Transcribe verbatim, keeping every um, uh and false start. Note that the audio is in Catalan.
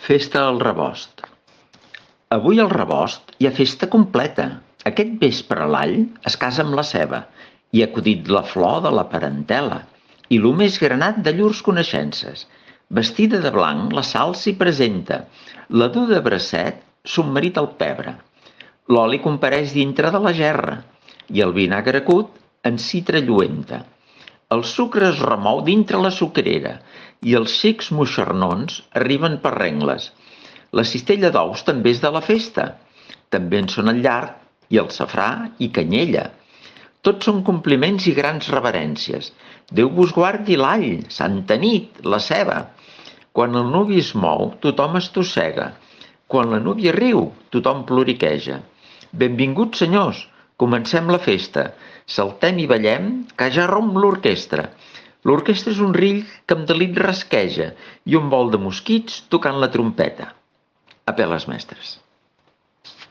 Festa al Rebost. Avui al Rebost hi ha festa completa. Aquest vespre l'all es casa amb la ceba i ha acudit la flor de la parentela i lo més granat de llurs coneixences. Vestida de blanc, la Sal s'hi presenta, la du de bracet, son marit al pebre. L'oli compareix dintre de la gerra i el vinagre acut en citra lluenta. El sucre es remou dintre la sucrera i els xics moixernons arriben per rengles. La cistella d'ous també és de la festa. També en són el llard i el safrà i canyella. Tots són compliments i grans reverències. Déu vos guardi l'all, santa nit, la ceba. Quan el nuvi es mou, tothom estossega. Quan la núvia riu, tothom ploriqueja. Benvinguts, senyors, comencem la festa. Saltem i ballem, que ja romp l'orquestra. L'orquestra és un rill que amb delit rasqueja i un vol de mosquits tocant la trompeta. A peles mestres.